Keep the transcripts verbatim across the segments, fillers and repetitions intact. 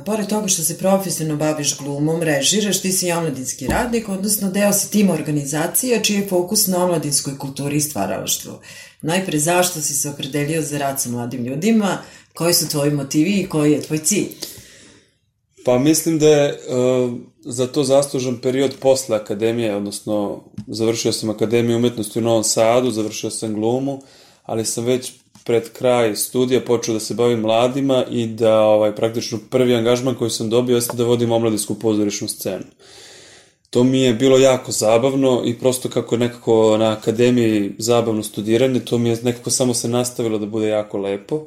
Pored toga što se profesionalno baviš glumom, režiraš, ti si i omladinski radnik, odnosno deo si tima organizacije čiji je fokus na omladinskoj kulturi i stvaralaštvu. Najpre, zašto si se opredelio za rad sa mladim ljudima, koji su tvoji motivi i koji je tvoj cilj? Pa mislim da je uh, za to zaslužan period posle akademije, odnosno završio sam Akademiju umetnosti u Novom Sadu, završio sam glumu, ali sam već pred kraj studija počeo da se bavim mladima i da ovaj, praktično prvi angažman koji sam dobio jeste da vodim omladinsku pozorišnu scenu. To mi je bilo jako zabavno i prosto kako je nekako na akademiji zabavno studiranje, to mi je nekako samo se nastavilo da bude jako lepo,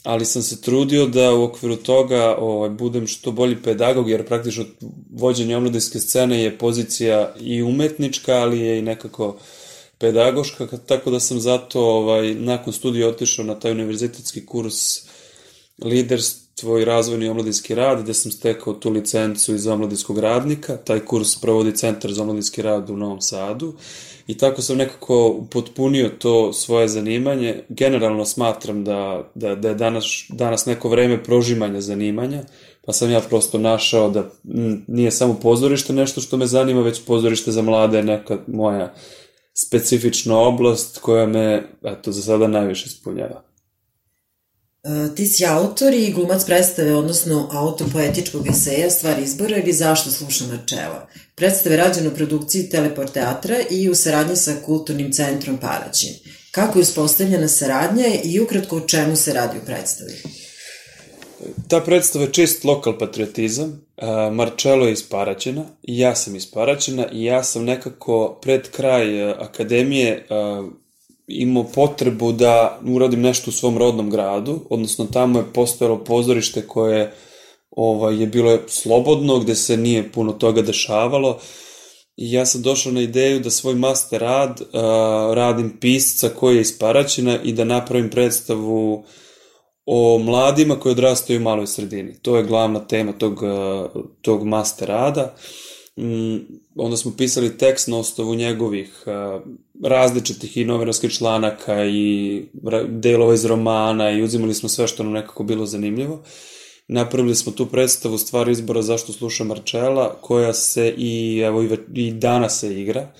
ali sam se trudio da u okviru toga ovaj, budem što bolji pedagog, jer praktično vođenje omladinske scene je pozicija i umetnička, ali je i nekako pedagoška, tako da sam zato ovaj, nakon studija otišao na taj univerzitetski kurs liderstvo i razvojni omladinski rad, gde sam stekao tu licencu iz omladinskog radnika. Taj kurs provodi Centar za omladinski rad u Novom Sadu i tako sam nekako upotpunio to svoje zanimanje. Generalno smatram da, da, da je danas, danas neko vreme prožimanja zanimanja, pa sam ja prosto našao da m, nije samo pozorište nešto što me zanima, već pozorište za mlade je neka moja specifična oblast koja me, eto, za sada najviše ispunjava. E, ti si autor i glumac predstave, odnosno autor poetičkog eseja Stvar izbora ili Zašto slušam načela. Predstave rađene u produkciji Teleport teatra i u saradnji sa Kulturnim centrom Paraćin. Kako je uspostavljena saradnja i ukratko o čemu se radi u predstavi? Ta predstava je čist lokal patriotizam. Marcello je iz Paraćina i ja sam iz Paraćina i ja sam nekako pred kraj akademije imao potrebu da uradim nešto u svom rodnom gradu, odnosno tamo je postojalo pozorište koje ovaj, je bilo slobodno, gde se nije puno toga dešavalo i ja sam došao na ideju da svoj master rad uh, radim pisca koji je iz Paraćina i da napravim predstavu o mladima koji odrastaju u maloj sredini. To je glavna tema tog, tog master rada. Onda smo pisali tekst na osnovu njegovih različitih i novinarskih članaka i delova iz romana i uzimali smo sve što nam nekako bilo zanimljivo. Napravili smo tu predstavu Stvar izbora Zašto slušam Marcella, koja se i, evo, i danas se igra.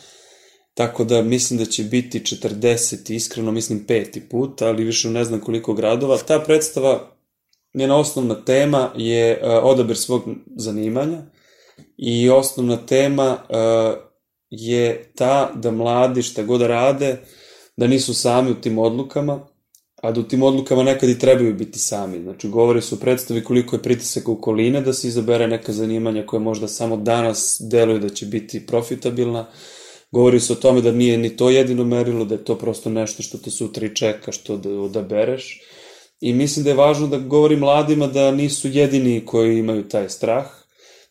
Tako da mislim da će biti četrdeset, iskreno mislim peti put, ali više ne znam koliko gradova. Ta predstava, njena osnovna tema je odabir svog zanimanja i osnovna tema je ta da mladi šta god da rade, da nisu sami u tim odlukama, a da u tim odlukama nekad i trebaju biti sami. Znači, govori se o predstavi koliko je pritisak okoline da se izabere neka zanimanja koje možda samo danas deluju da će biti profitabilna. Govori se o tome da nije ni to jedino merilo, da je to prosto nešto što te sutra i čeka, što da odabereš. I mislim da je važno da govori mladima da nisu jedini koji imaju taj strah,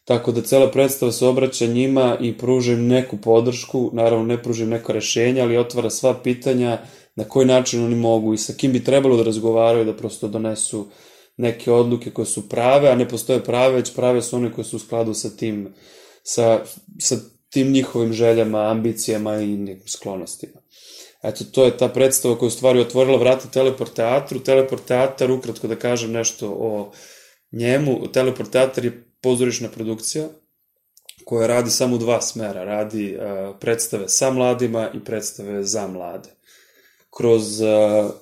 tako da cela predstava se obraća njima i pruža im neku podršku, naravno ne pruža im neko rešenje, ali otvara sva pitanja na koji način oni mogu i sa kim bi trebalo da razgovaraju, da prosto donesu neke odluke koje su prave, a ne postoje prave, već prave su one koje su u skladu sa tim, sa, sa tim njihovim željama, ambicijama i nekim sklonostima. Eto, to je ta predstava koja je u stvari otvorila vrata Teleport teatru. Teleport teatar, ukratko da kažem nešto o njemu, Teleport teatar je pozorišna produkcija koja radi samo u dva smera. Radi uh, predstave sa mladima i predstave za mlade. Kroz uh,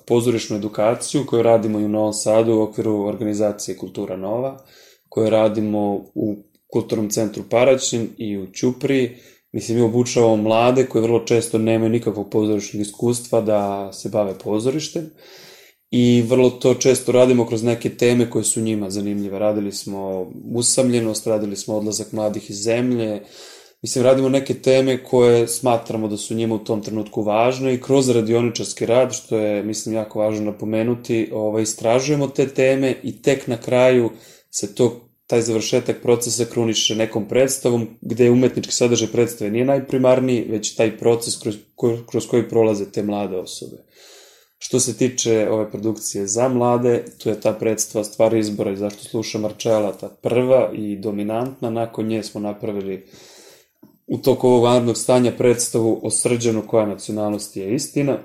pozorišnu edukaciju koju radimo i u Novom Sadu u okviru organizacije Kultura Nova, koju radimo u Kulturnom centru Paraćin i u Ćupriji. Mislim, mi obučavamo mlade koji vrlo često nemaju nikakvog pozorišnog iskustva da se bave pozorištem i vrlo to često radimo kroz neke teme koje su njima zanimljive. Radili smo usamljenost, radili smo odlazak mladih iz zemlje, mislim, radimo neke teme koje smatramo da su njima u tom trenutku važne i kroz radioničarski rad, što je, mislim, jako važno napomenuti, ovaj, istražujemo te teme i tek na kraju se to taj završetak procesa kruniše nekom predstavom, gde je umetnički sadržaj predstave nije najprimarniji, već taj proces kroz, kroz koji prolaze te mlade osobe. Što se tiče ove produkcije za mlade, tu je ta predstava Stvar izbora i Zašto slušam Marcella, ta prva i dominantna. Nakon nje smo napravili u toku ovog vanrednog stanja predstavu o Srđanu koja nacionalnosti je istina,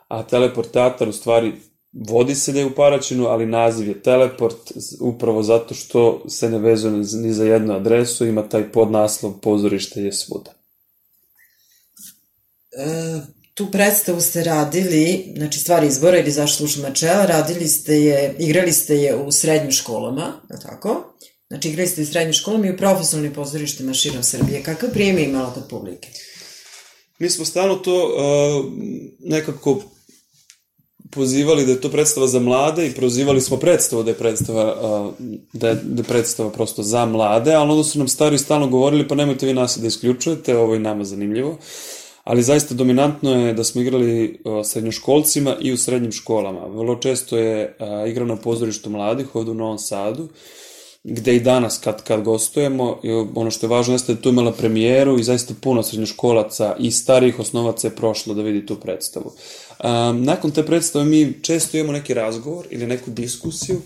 a Teleport teatar u stvari vodi se da je u Paraćinu, ali naziv je Teleport, upravo zato što se ne vezuje ni za jednu adresu, ima taj podnaslov Pozorište je svuda. E, tu predstavu ste radili, znači Stvar izbora ili Zašto slušam načela, radili ste je, igrali ste je u srednjim školama, je tako? Znači igrali ste u srednjim školama i u profesionalnim pozorištima širom Srbije. Kakav prijem je imala kod publike? Mi smo stalno to uh, nekako pozivali da je to predstava za mlade i prozivali smo predstavu da je predstava, uh, da je, da je predstava prosto za mlade, ali onda su nam stari stalno govorili pa nemojte vi nas da isključujete, ovo je nama zanimljivo. Ali zaista dominantno je da smo igrali uh, srednjoškolcima i u srednjim školama. Vrlo često je uh, igrano na pozorištu mladih ovde u Novom Sadu, gde i danas kad, kad gostujemo, i ono što je važno jeste da tu imala premijeru i zaista puno srednjoškolaca i starijih osnovaca je prošlo da vidi tu predstavu. Um, nakon te predstave mi često imamo neki razgovor ili neku diskusiju,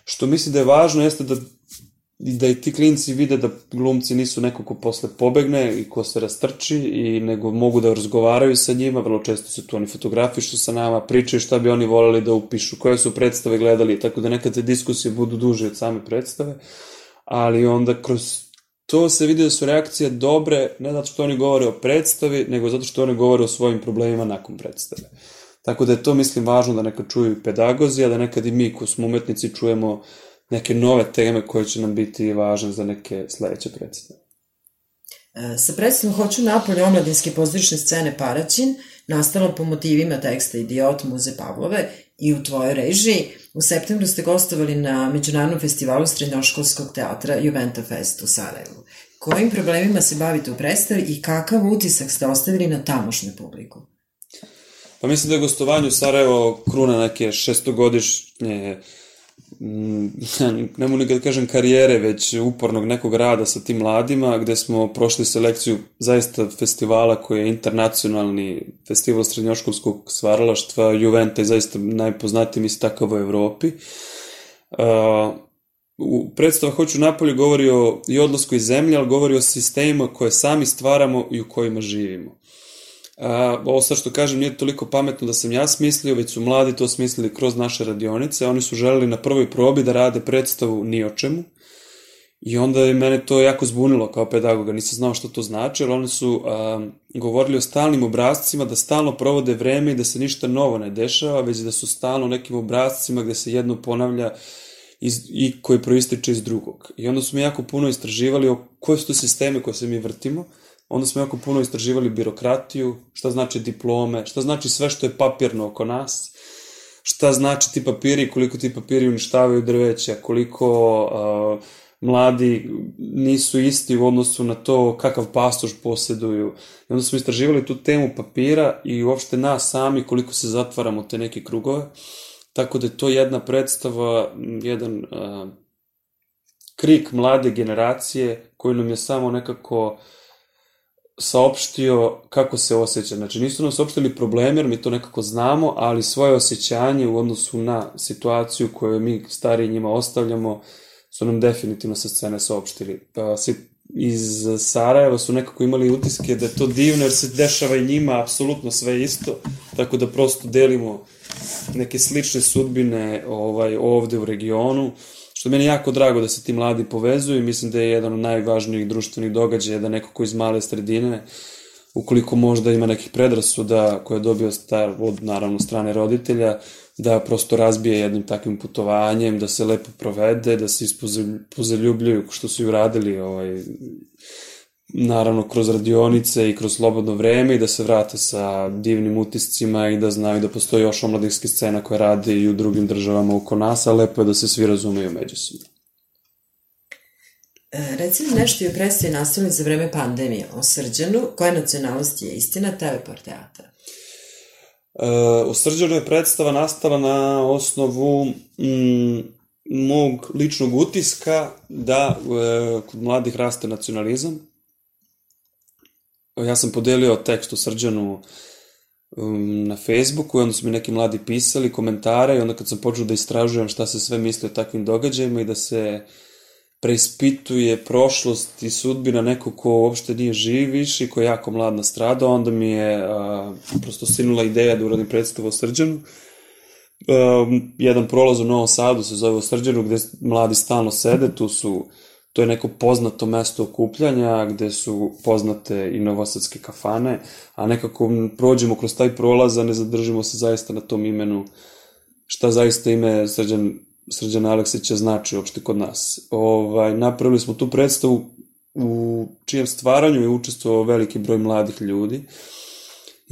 što misli da je važno jeste da da i ti klinci vide da glumci nisu neko ko posle pobegne i ko se rastrči, i nego mogu da razgovaraju sa njima, vrlo često se tu oni fotografišu sa nama, pričaju šta bi oni voleli da upišu, koje su predstave gledali, tako da nekad te diskusije budu duže od same predstave, ali onda kroz to se vidi da su reakcije dobre, ne zato što oni govore o predstavi, nego zato što oni govore o svojim problemima nakon predstave. Tako da je to, mislim, važno da nekad čuju i pedagozi, a da nekad i mi ko smo umetnici čujemo neke nove teme koje će nam biti važne za neke sledeće predstave. E, sa predstavom Hoću napolje omladinske pozorišne scene Paraćin, nastala po motivima teksta Idiot Muze Pavlove i u tvojoj režiji, u septembru ste gostovali na Međunarodnom festivalu srednjoškolskog teatra Juventa Fest u Sarajevu. Kojim problemima se bavite u predstavi i kakav utisak ste ostavili na tamošnju publiku? Pa mislim da je gostovanje u Sarajevo kruna neke šestogodišnje, ne mogu nikad da kažem karijere, već upornog nekog rada sa tim mladima, gde smo prošli selekciju zaista festivala koji je internacionalni festival srednjoškolskog stvaralaštva, Juventa je zaista najpoznatiji mislim takav u Evropi. U predstava Hoću napolje govori o i odlasku iz zemlje, ali govori o sistemima koje sami stvaramo i u kojima živimo. A, ovo sad što kažem nije toliko pametno da sam ja smislio, već su mladi to smislili kroz naše radionice. Oni su želeli na prvoj probi da rade predstavu ni o čemu i onda je mene to jako zbunilo kao pedagoga, nisam znao što to znači, ali oni su a, govorili o stalnim obrascima, da stalno provode vreme i da se ništa novo ne dešava, već da su stalno nekim obrascima gde se jedno ponavlja iz, i koji proističe iz drugog. I onda su mi jako puno istraživali o koje su to sisteme koje se mi vrtimo. Onda smo jako puno istraživali birokratiju, šta znači diplome, šta znači sve što je papirno oko nas, šta znači ti papiri, koliko ti papiri uništavaju drveća, koliko uh, mladi nisu isti u odnosu na to kakav pasoš posjeduju. I onda smo istraživali tu temu papira i uopšte nas sami koliko se zatvaramo te neke krugove. Tako da je to jedna predstava, jedan uh, krik mlade generacije koji nam je samo nekako saopštio kako se osjeća. Znači nisu nam saopštili probleme jer mi to nekako znamo, ali svoje osjećanje u odnosu na situaciju koju mi stariji njima ostavljamo su nam definitivno sa scene saopštili. Iz Sarajeva su nekako imali utiske da je to divno jer se dešava i njima apsolutno sve isto, tako da prosto delimo neke slične sudbine ovaj, ovde u regionu, što meni je jako drago da se ti mladi povezuju i mislim da je jedan od najvažnijih društvenih događaja da neko ko iz male sredine, ukoliko možda ima nekih predrasuda koje je dobio star, od naravno strane roditelja, da prosto razbije jednim takvim putovanjem, da se lepo provede, da se ispozaljubljuju što su i uradili ovaj, naravno kroz radionice i kroz slobodno vreme i da se vrate sa divnim utiscima i da znaju da postoji još omladinske scena koje rade i u drugim državama oko nas, a lepo je da se svi razumeju međusobno. E, reci mi nešto i o predstavi nastavili za vreme pandemije o Srđanu, koja nacionalnost je istina, Teleport teatra? E, u Srđanu je predstava nastala na osnovu mm, mog ličnog utiska da e, kod mladih raste nacionalizam. Ja sam podelio tekst u Srđanu um, na Facebooku i onda su mi neki mladi pisali komentare i onda kad sam počeo da istražujem šta se sve misli o takvim događajima i da se preispituje prošlost i sudbina nekog ko uopšte nije živ više i ko je jako mlad nastradao, onda mi je a, prosto sinula ideja da uradim predstavu o Srđanu. Um, jedan prolaz u Novom Sadu se zove u Srđanu, gde mladi stalno sede, tu su, to je neko poznato mesto okupljanja, gde su poznate i novosadske kafane, a nekako prođemo kroz taj prolaz, a ne zadržimo se zaista na tom imenu, šta zaista ime Srđan, Srđana Aleksića znači uopšte kod nas. Ovaj, napravili smo tu predstavu u čijem stvaranju je učestvovao veliki broj mladih ljudi.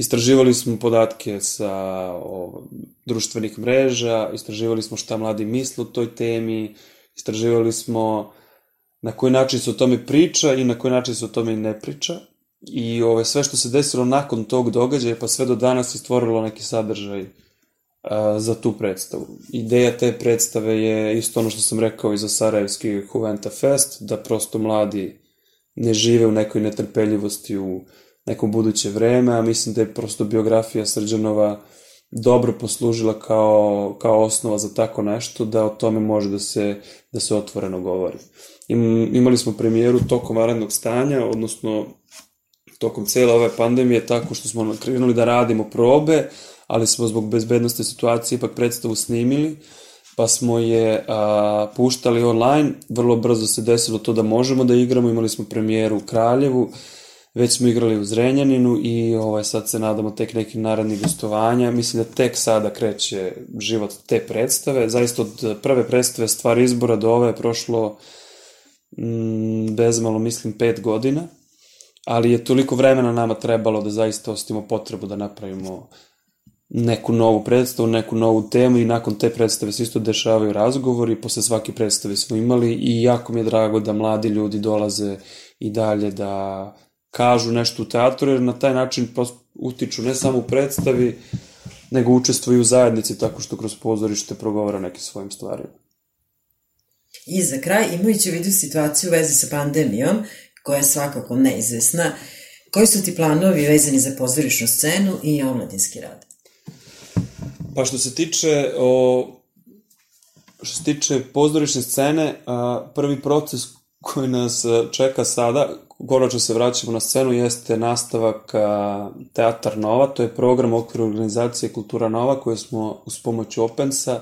Istraživali smo podatke sa o, društvenih mreža, istraživali smo šta mladi misle o toj temi, istraživali smo na koji način se o tome priča i na koji način se o tome i ne priča. I ove, sve što se desilo nakon tog događaja pa sve do danas je stvorilo neki sadržaj a, za tu predstavu. Ideja te predstave je isto ono što sam rekao i za Sarajevski Juventa Fest, da prosto mladi ne žive u nekoj netrpeljivosti u neko buduće vreme, a mislim da je prosto biografija Srđanova dobro poslužila kao, kao osnova za tako nešto, da o tome može da se, da se otvoreno govori. Im, imali smo premijeru tokom vanrednog stanja, odnosno tokom cele ove pandemije, tako što smo krenuli da radimo probe, ali smo zbog bezbednosti situacije ipak predstavu snimili, pa smo je a, puštali online. Vrlo brzo se desilo to da možemo da igramo, imali smo premijeru u Kraljevu, već smo igrali u Zrenjaninu i ovaj, sad se nadamo tek nekih narednih gostovanja. Mislim da tek sada kreće život te predstave. Zaista od prve predstave Stvar izbora do ove je prošlo mm, bezmalo, mislim, pet godina, ali je toliko vremena nama trebalo da zaista ostavimo potrebu da napravimo neku novu predstavu, neku novu temu i nakon te predstave se isto dešavaju razgovori, posle svake predstave smo imali i jako mi je drago da mladi ljudi dolaze i dalje da kažu nešto u teatru, jer na taj način utiču ne samo u predstavi, nego učestvuju u zajednici tako što kroz pozorište progovara neke svojim stvarima. I za kraj, imajući u vidu situaciju u vezi sa pandemijom, koja je svakako neizvesna, koji su ti planovi vezani za pozorišnu scenu i omladinski rad? Pa što se tiče o, što se tiče pozorišne scene, prvi proces koji nas čeka sada, konačno se vraćamo na scenu, jeste nastavak Teatar Nova, to je program u okviru organizacije Kultura Nova koju smo uz pomoć Opensa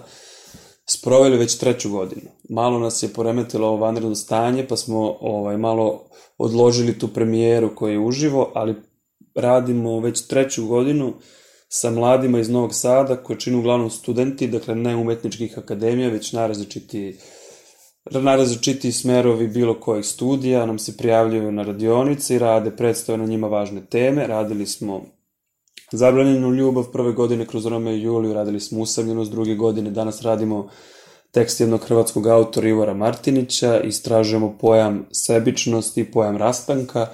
sproveli već treću godinu. Malo nas je poremetilo ovo vanredno stanje, pa smo ovaj, malo odložili tu premijeru koju je uživo, ali radimo već treću godinu sa mladima iz Novog Sada, koji čine uglavnom studenti, dakle ne umetničkih akademija, već najrazličitiji najrazličitiji smerovi bilo kojih studija, nam se prijavljaju na radionice i rade predstave na njima važne teme. Radili smo Zabranjenu ljubav prve godine kroz Romeo i Juliju, radili smo Usamljenost druge godine, danas radimo tekst jednog hrvatskog autora Ivora Martinića, istražujemo pojam sebičnosti i pojam rastanka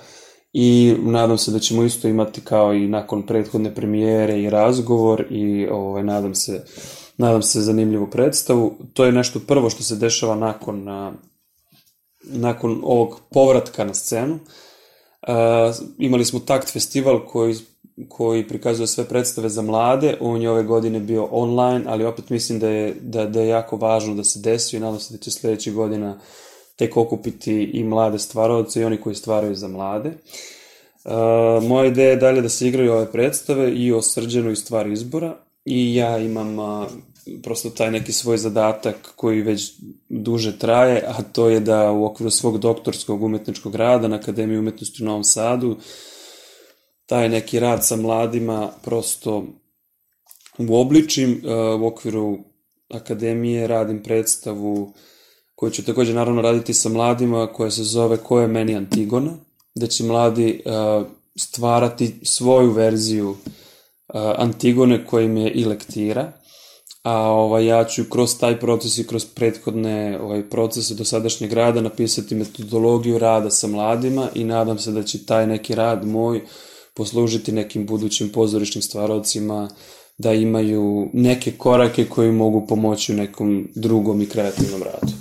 i nadam se da ćemo isto imati kao i nakon prethodne premijere i razgovor i ovaj, nadam se Nadam se zanimljivu predstavu. To je nešto prvo što se dešava nakon, nakon ovog povratka na scenu. Uh, imali smo Takt festival koji, koji prikazuje sve predstave za mlade. On je ove godine bio online, ali opet mislim da je, da, da je jako važno da se desi i nadam se da će sledeće godina tek okupiti i mlade stvaravce i oni koji stvaraju za mlade. Uh, moja ideja je dalje da se igraju ove predstave i o Srđanu i Stvar izbora. I ja imam a, prosto taj neki svoj zadatak koji već duže traje, a to je da u okviru svog doktorskog umetničkog rada na Akademiji umetnosti u Novom Sadu taj neki rad sa mladima prosto uobličim. A, u okviru Akademije radim predstavu koju ću takođe naravno raditi sa mladima, koja se zove Ko je meni Antigona, gde će mladi a, stvarati svoju verziju Antigone koja im je i lektira, a ovaj, ja ću kroz taj proces i kroz prethodne ovaj, procese dosadašnjeg rada napisati metodologiju rada sa mladima i nadam se da će taj neki rad moj poslužiti nekim budućim pozorišnim stvaravcima da imaju neke korake koji mogu pomoći u nekom drugom i kreativnom radu.